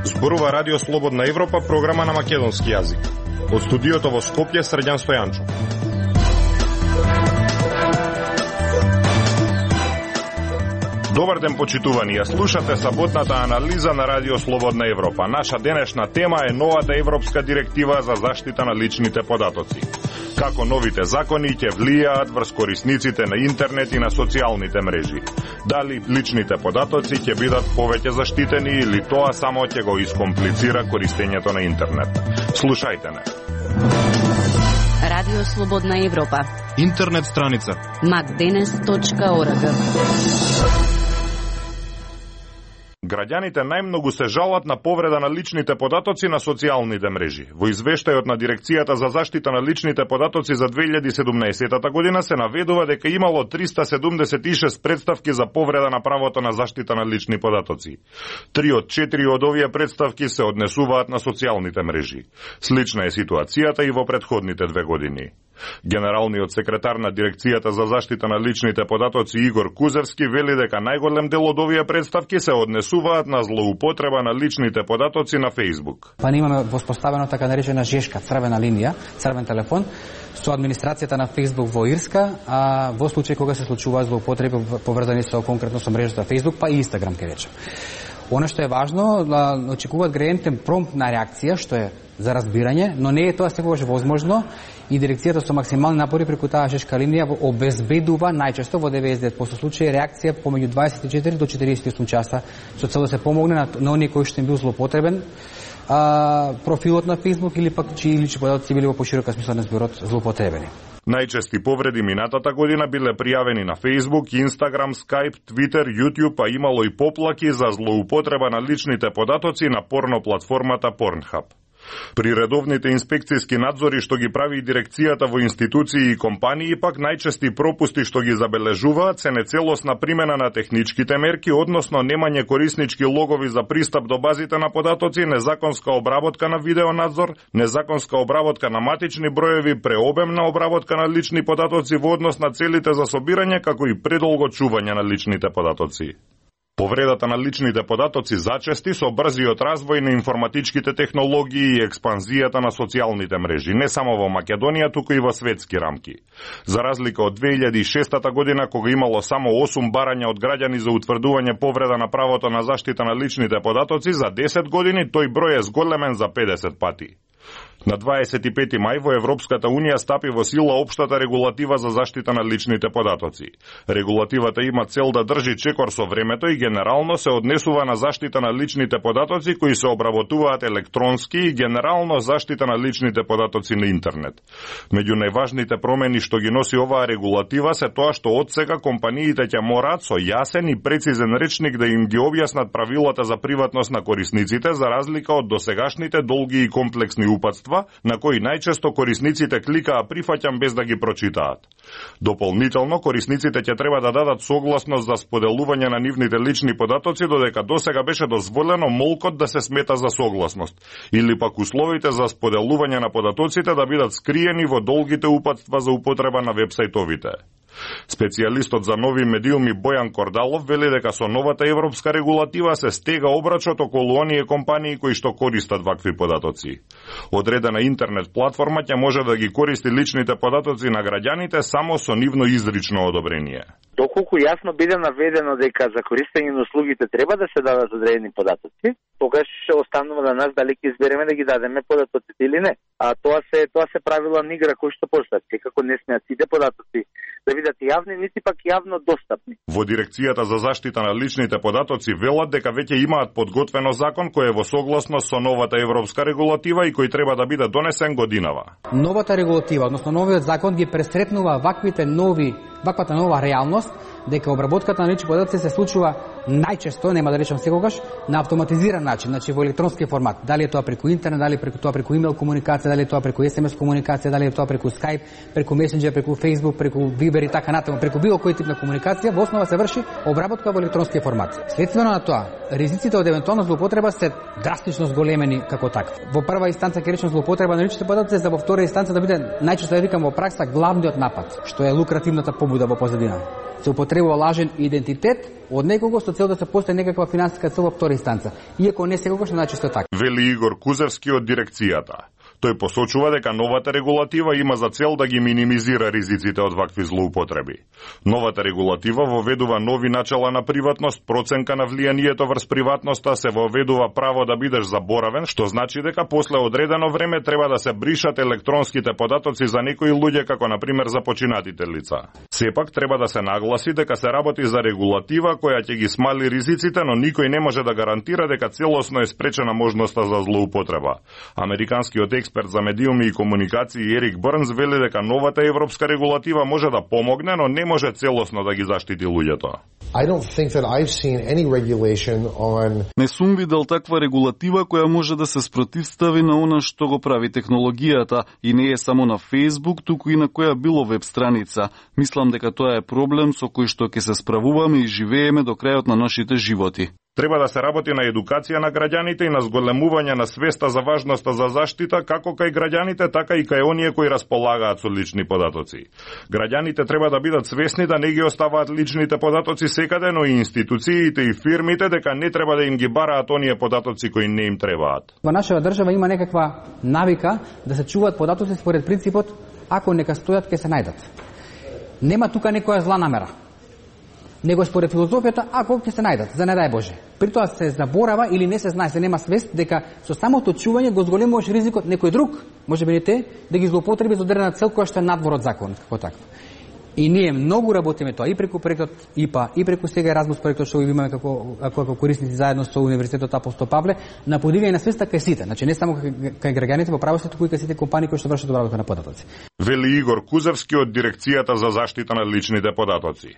Зборува Радио Слободна Европа, програма на македонски јазик. Од студиото во Скопје, Срđan Стојанчов. Добар ден, почитувани. Ја слушате саботната анализа на Радио Слободна Европа. Наша денешна тема е новата европска директива за заштита на личните податоци. Како новите закони ќе влијаат врз корисниците на интернет и на социјалните мрежи. Дали личните податоци ќе бидат повеќе заштитени или тоа само ќе го искомплицира користењето на интернет. Слушајте не. Радио Слободна Европа. Интернет страница macdenes.org. Граѓаните најмногу се жалат на повреда на личните податоци на социјалните мрежи. Во извештајот на Дирекцијата за заштита на личните податоци за 2017 година се наведува дека имало 376 представки за повреда на правото на заштита на лични податоци. 3 од 4 од овие представки се однесуваат на социјалните мрежи. Слична е ситуацијата и во претходните 2 години. Генералниот секретар на Дирекцијата за заштита на личните податоци Игор Кузевски вели дека најголем дел од овие представки се однесуваат на злоупотреба на личните податоци на Facebook. Па имаме воспоставено така наречена жешка, црвена линија, црвен телефон со администрацијата на Facebook во Ирска, а во случај кога се случуваат злоупотреби поврзани со конкретно со мрежата Facebook, па и Instagram ке речем. Она што е важно, очекуваат граѓаните промптна реакција, што е за разбирање, но не е тоа секогаш возможно и дирекцијата со максимални напори преку таа жешка линија обезбедува најчесто во 99% случаи реакција помеѓу 24 до 48 часа со цел да се помогне на оние кои што им бил злоупотребен профилот на Facebook или пак чии лични податоци били во поширока смисла на зборот злоупотребени. Најчести повреди минатата година биле пријавени на Facebook, Instagram, Skype, Twitter, YouTube, а имало и поплаки за злоупотреба на личните податоци на порно платформата Pornhub. При редовните инспекцијски надзори што ги прави дирекцијата во институции и компании, пак најчести пропусти што ги забележуваат се нецелосна примена на техничките мерки, односно немање кориснички логови за пристап до базите на податоци, незаконска обработка на видеонадзор, незаконска обработка на матични броеви, преобемна обработка на лични податоци во однос на целите за собирање, како и предолго чување на личните податоци. Повредата на личните податоци зачести со брзиот развој на информатичките технологии и експанзијата на социјалните мрежи, не само во Македонија, туку и во светски рамки. За разлика од 2006 година, кога имало само 8 барања од граѓани за утврдување повреда на правото на заштита на личните податоци, за 10 години тој број е зголемен за 50 пати. На 25 мај во Европската Унија стапи во сила општата регулатива за заштита на личните податоци. Регулативата има цел да држи чекор со времето и генерално се однесува на заштита на личните податоци кои се обработуваат електронски и генерално заштита на личните податоци на интернет. Меѓу најважните промени што ги носи оваа регулатива се тоа што одсега компаниите ќе мораат со јасен и прецизен речник да им ги објаснат правилата за приватност на корисниците, за разлика од досегашните долги и комплексни упатства на кои најчесто корисниците кликаа прифаќам без да ги прочитаат. Дополнително, корисниците ќе треба да дадат согласност за споделување на нивните лични податоци, додека досега беше дозволено молкот да се смета за согласност, или пак условите за споделување на податоците да бидат скриени во долгите упатства за употреба на вебсајтовите. Специјалистот за нови медиуми Бојан Кордалов вели дека со новата европска регулатива се стега обрачот околу оние компании кои што користат вакви податоци. Одредена интернет платформа ќе може да ги користи личните податоци на граѓаните само со нивно изрично одобрение. Доколку јасно биде наведено дека за користење на услугите треба да се дадат одредени податоци, тогаш останува на нас дали ќе избереме да ги дадеме податоците или не. А тоа се правила на игра кои што постојат. Секако не смеат сите податоци да бидат јавни, нити пак јавно достапни. Во Дирекцијата за заштита на личните податоци велат дека веќе имаат подготвено закон кој е во согласност со новата европска регулатива и кој треба да биде донесен годинава. Новата регулатива, односно новиот закон ги пресретнува ваквите нови ваквата нова реалност, дека обработката на лични податоци се случува најчесто, нема да речам секогаш, на автоматизиран начин, значи во електронски формат. Дали е тоа преку интернет, дали е тоа преку имейл комуникација, дали е тоа преку SMS комуникација, дали е тоа преку Skype, преку Messenger, преку Facebook, преку Viber и така натаму, преку било кој тип на комуникација, во основа се врши обработка во електронски формат. Следствено на тоа, ризиците од евентуална злоупотреба се драстично зголемени како таква. Во прва инстанца ќе речем злоупотреба на личните податоци, за во втора инстанца да биде најчесто да викам во пракса главниот напад, што е лукративната побуда во позадина. Се употребува лажен идентитет од некого со цел да се постигне некаква финансиска цел во втора инстанца, иако не секогаш најчесто така. Вели Игор Кузевски од дирекцијата. Тој посочува дека новата регулатива има за цел да ги минимизира ризиците од вакви злоупотреби. Новата регулатива воведува нови начала на приватност, проценка на влијанието врз приватноста, се воведува право да бидеш заборавен, што значи дека после одредено време треба да се бришат електронските податоци за некои луѓе, како на пример за починатите лица. Сепак треба да се нагласи дека се работи за регулатива која ќе ги смали ризиците, но никој не може да гарантира дека целосно е спречена можноста за злоупотреба. Американскиот експерт за медиуми и комуникации Ерик Брнс вели дека новата европска регулатива може да помогне, но не може целосно да ги заштити луѓето. Не сум видел таква регулатива која може да се спротивстави на она што го прави технологијата и не е само на Facebook, туку и на која било веб страница. Мислам дека тоа е проблем со кој што ќе се справуваме и живееме до крајот на нашите животи. Треба да се работи на едукација на граѓаните и на зголемување на свеста за важноста за заштита како кај граѓаните, така и кај оние кои располагаат со лични податоци. Граѓаните треба да бидат свесни да не ги оставаат личните податоци секаде, но и институциите и фирмите дека не треба да им ги бараат оние податоци кои не им требаат. Во нашава држава има некаква навика да се чуваат податоци според принципот ако нека стојат ќе се најдат. Нема тука некоја зла намера, него според филозофијата, ако ќе се најдат, за не дај Боже. При тоа се заборава или не се знае, се нема свест дека со самото чување го зголемуваш ризикот некој друг, можеби не те, да ги злоупотреби за одредена цел која што е надвор од законот, како таква. И ние многу работиме тоа и преку проектот ИПА, и преку сега Еразмус проектот што го имаме како корисници заедно со Универзитетот Апостол Павле, на подигање на свеста кај сите, значи не само кај граѓаните во правосудството, туку и кај сите компании кои што вршат обработка на податоци. Вели Игор Кузевски од дирекцијата за заштита на личните податоци.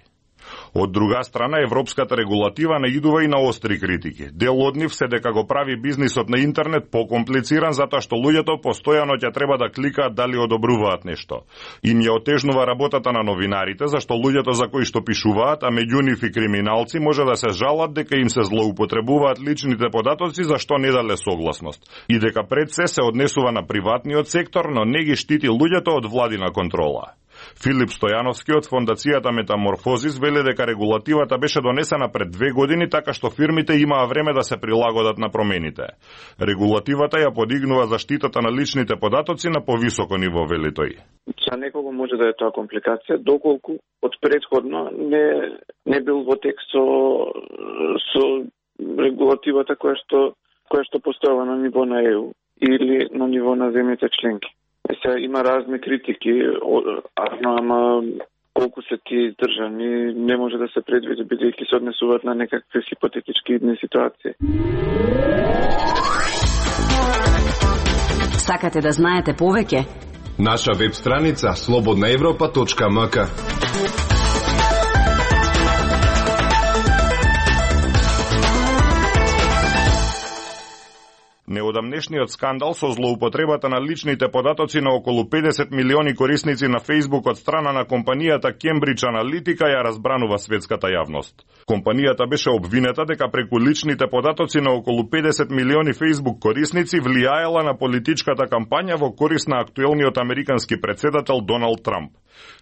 Од друга страна, европската регулатива наидува и на остри критики. Дел од нив се дека го прави бизнисот на интернет покомплициран затоа што луѓето постојано ќе треба да кликаат дали одобруваат нешто. Им ја отежнува работата на новинарите, зашто луѓето за кои што пишуваат, а меѓу нив и криминалци, може да се жалат дека им се злоупотребуваат личните податоци зашто не дале согласност. И дека пред се однесува на приватниот сектор, но не ги штити луѓето од владина контрола. Филип Стојановски од фондацијата Метаморфозис вели дека регулативата беше донесена пред 2 години, така што фирмите имаа време да се прилагодат на промените. Регулативата ја подигнува заштитата на личните податоци на повисоко ниво, вели тој. За некого може да е тоа компликација, доколку од предходно не бил во текст со регулативата која што постојава на ниво на ЕУ или на ниво на земјите членки. Сега има разни критики, ама колку се тие држани не може да се предвиди, бидејќи се однесуваат на некакви хипотетички идни ситуации. Сакате да знаете повеќе? Наша веб страница slobodnaevropa.mk. Неодамнешниот скандал со злоупотребата на личните податоци на околу 50 милиони корисници на Facebook од страна на компанијата Cambridge Analytica ја разбранува светската јавност. Компанијата беше обвинета дека преку личните податоци на околу 50 милиони Facebook корисници влијаела на политичката кампања во корист на актуелниот американски претседател Доналд Трамп.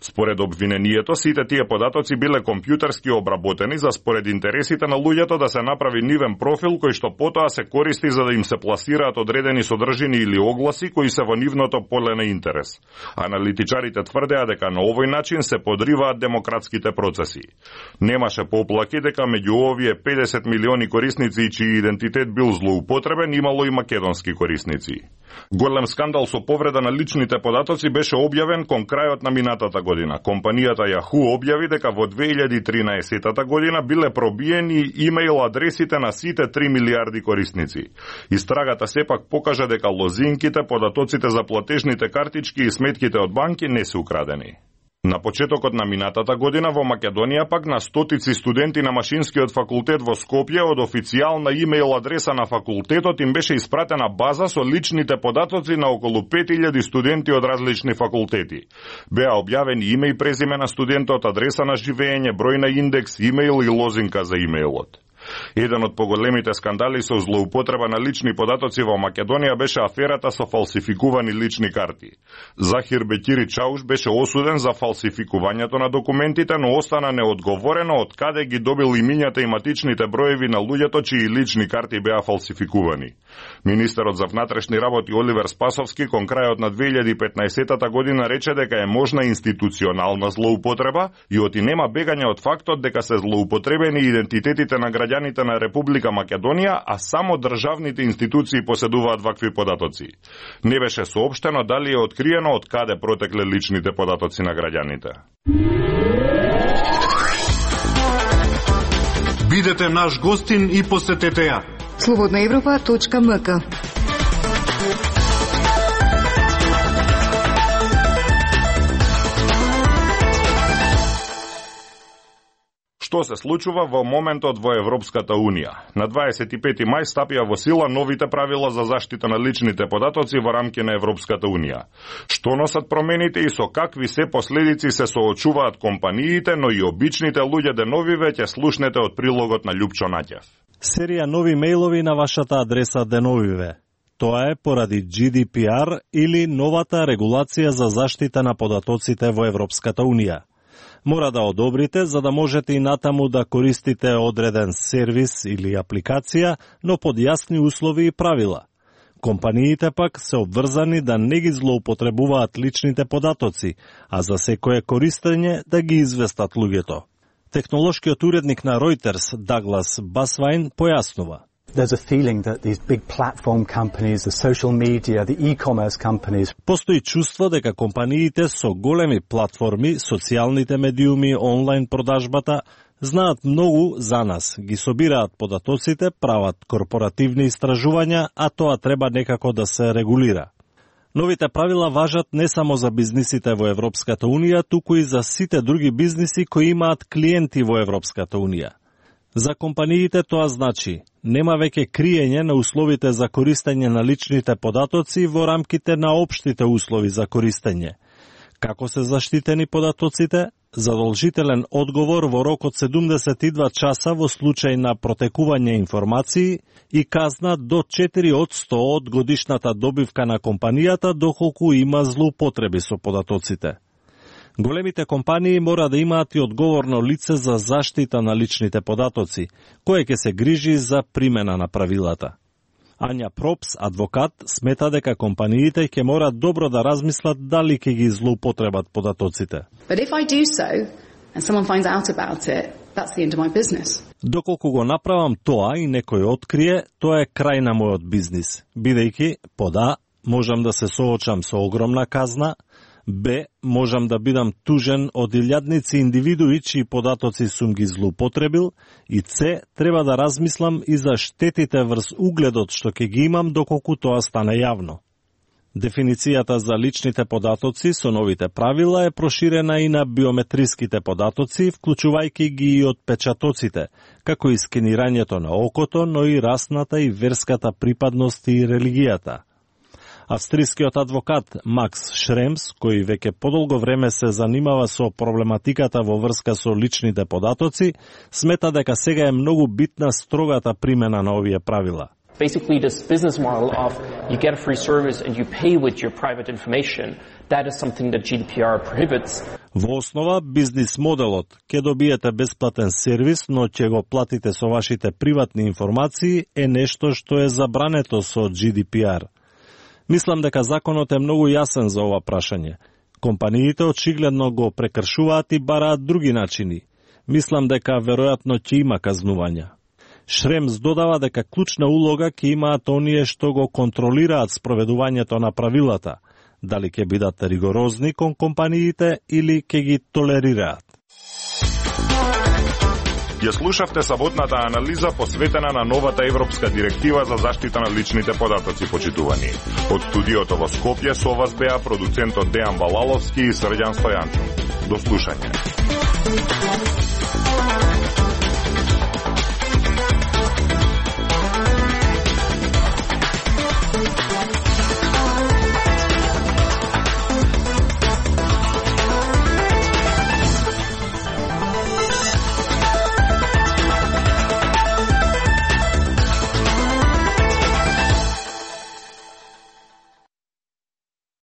Според обвинението, сите тие податоци биле компјутерски обработени за според интересите на луѓето да се направи нивен профил кој што потоа се користи за да им се пласираат одредени содржини или огласи кои се во нивното поле на интерес. Аналитичарите тврдеа дека на овој начин се подриваат демократските процеси. Немаше поплаки дека меѓу овие 50 милиони корисници чиј идентитет бил злоупотребен имало и македонски корисници. Голем скандал со повреда на личните податоци беше објавен кон крајот на минатата година. Компанијата Yahoo објави дека во 2013 година биле пробиени имејл адресите на сите 3 милиарди корисници. Истрагата сепак покажа дека лозинките, податоците за платежните картички и сметките од банки не се украдени. На почетокот на минатата година во Македонија пак на стотици студенти на Машинскиот факултет во Скопје од официјална имејл адреса на факултетот им беше испратена база со личните податоци на околу 5000 студенти од различни факултети. Беа објавени име и презиме на студентот, адреса на живење, број на индекс, имејл и лозинка за имејлот. Еден од поголемите скандали со злоупотреба на лични податоци во Македонија беше аферата со фалсификувани лични карти. Захир Бекири Чауш беше осуден за фалсификувањето на документите, но остана неодговорено од каде ги добил имињата и матичните броеви на луѓето чии лични карти беа фалсификувани. Министерот за внатрешни работи Оливер Спасовски кон крајот на 2015 година рече дека е можна институционална злоупотреба и оти нема бегање од фактот дека се злоупотребени идентитетите на граѓаните на Република Македонија, а само државните институции поседуваат вакви податоци. Не беше соопштено дали е откриено од каде протекле личните податоци на граѓаните. Бидете наш гостин и посетете ја. Slobodnaevropa.mk. Што се случува во моментот во Европската Унија? На 25 мај стапија во сила новите правила за заштита на личните податоци во рамки на Европската Унија. Што носат промените и со какви се последици се соочуваат компаниите, но и обичните луѓе деновиве ќе слушнете од прилогот на Љупчо Наќев. Серија нови мејлови на вашата адреса деновиве. Тоа е поради GDPR или новата регулација за заштита на податоците во Европската Унија. Мора да одобрите за да можете и натаму да користите одреден сервис или апликација, но под јасни услови и правила. Компаниите пак се обврзани да не ги злоупотребуваат личните податоци, а за секое користење да ги известат луѓето. Технолошкиот уредник на Reuters, Даглас Басвайн, појаснува. There's a feeling that these big platform companies, the social media, the e-commerce companies. Постои чувство дека компаниите со големи платформи, социјалните медиуми, онлайн продажбата, знаат многу за нас, ги собираат податоците, прават корпоративни истражувања, а тоа треба некако да се регулира. Новите правила важат не само за бизнисите во Европската Унија, туку и за сите други бизниси кои имаат клиенти во Европската Унија. За компаниите тоа значи нема веќе криење на условите за користење на личните податоци во рамките на општите услови за користење. Како се заштитени податоците? Задолжителен одговор во рок од 72 часа во случај на протекување информации и казна до 4% од годишната добивка на компанијата доколку има злоупотреби со податоците. Големите компании мора да имаат и одговорно лице за заштита на личните податоци, кое ќе се грижи за примена на правилата. Ања Пропс, адвокат, смета дека компаниите ќе мора добро да размислат дали ќе ги злоупотребат податоците. Доколку го направам тоа и некој открие, тоа е крај на мојот бизнис, бидејќи, пода, можам да се соочам со огромна казна, Б. Можам да бидам тужен од илјадници индивидуи чии податоци сум ги злоупотребил и С. Треба да размислам и за штетите врз угледот што ќе ги имам доколку тоа стане јавно. Дефиницијата за личните податоци со новите правила е проширена и на биометриските податоци, вклучувајќи ги и отпечатоците, како и скенирањето на окото, но и расната и верската припадност и религијата. Австрискиот адвокат Макс Шремс, кој веќе подолго време се занимава со проблематиката во врска со личните податоци, смета дека сега е многу битна строгата примена на овие правила. Basically, this business model of you get a free service and you pay with your private information, that is something that GDPR prohibits. Во основа, бизнис моделот ќе добиете бесплатен сервис, но ќе го платите со вашите приватни информации е нешто што е забрането со GDPR. Мислам дека законот е многу јасен за ова прашање. Компаниите очигледно го прекршуваат и бараат други начини. Мислам дека веројатно ќе има казнувања. Шремс додава дека клучна улога ќе имаат оние што го контролираат спроведувањето на правилата, дали ќе бидат ригорозни кон компаниите или ќе ги толерираат. Ја слушавте саботната анализа посветена на новата европска директива за заштита на личните податоци, почитувани. Од студиото во Скопје со вас беа продуцентот Дејан Балаловски и Срđan Стојанчов. До слушање.